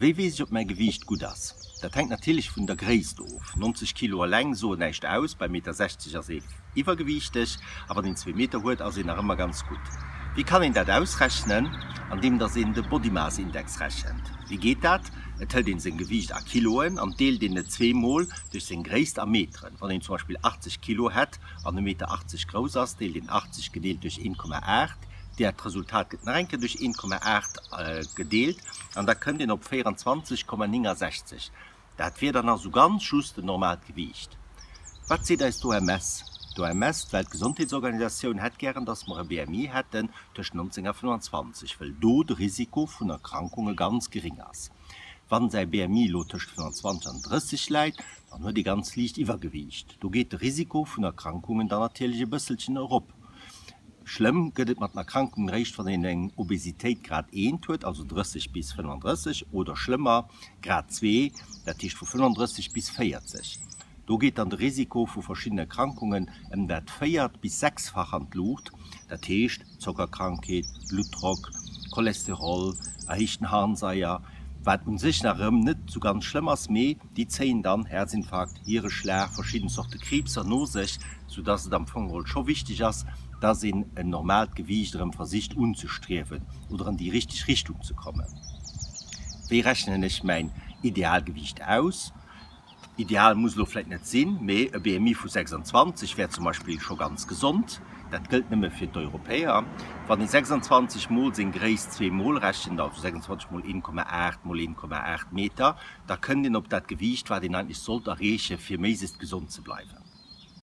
Wéi weess ech ob mäi Gewiicht gutt ass? Dat hänkt natierlech vun der Gréisst of. 90 Kilo eleng soen näischt aus, bei Meter 60 ass ee iwwergewiichteg a wann een zwee Meter huet ass een nach ëmmer ganz gutt. Wéi kann een dat ausrechnen? Andeem dass een de Body Mass Index rechent. Wéi geet dat? Et hëlt een seng Gewiicht a Kiloen an deelt een et zweemol duerch seng Gréisst a Meteren. Wann een zum Beispill 80 Kilo hätt an e Meter 80 grouss ass, deelt een 80 gedeelt duerch 1,8, dat Resultat gëtt nach eng Kéier duerch 1,8 gedeelt an da kënnt een op 24,69. Dat wier dann also ganz just en normaalt Gewiicht. Wat seet eis d'OMS? D'OMS, d'Weltgesondheetsorganisatioun, hätt gären, dass mer e BMI hätten tëscht 19 a 25, wëll do de Risiko vun Erkrankunge ganz gering ass. Wann säi BMI elo tëscht 25 an 30 läit, dann huet ee ganz liicht Iwwergewiicht. Do geet de Risiko vun Erkrankungen dann natierlech e bësselchen erop. Schlëmm gëtt et mat den Erkrankungen eréischt, wann een eng Obesitéit Grad eent huet, also 30 bis 35, oder schlëmmer, Grad zwee, dat heescht vu 35 bis 40. Do geet dann de Risiko vu verschiddenen Erkrankungen ëm dat véiert bis sechsfach an d'Luucht, dat heescht Zockerkrankheet, Bluttdrock, Cholesterol, erhéichten Harnsaier, wat un sech nach erëm net sou ganz schlëmm ass, mee déi zéien dann Herzinfarkt, Hiereschlag, verschidden Zorte Kriibser no sech, sou dass et am Fong geholl scho wichteg ass, dass een en normaalt Gewiicht erëm versicht unzestriewen oder an déi richteg Richtung ze kommen. Wéi rechnen ech mäin Idealgewiicht aus? Ideal muss elo vläit net sinn, mee e BMI vu 26 wär zum Beispill scho ganz gesond. Dat gëllt nëmme fir d'Europäer. Wann ee 26 mol seng Gréisst zweemol rechent, also 26 mol 1,8 mol 1,8 Meter, da kënnt een op dat Gewiicht, wat een eigentlech sollt erreechen, fir méiglechst gesond ze bleiwen.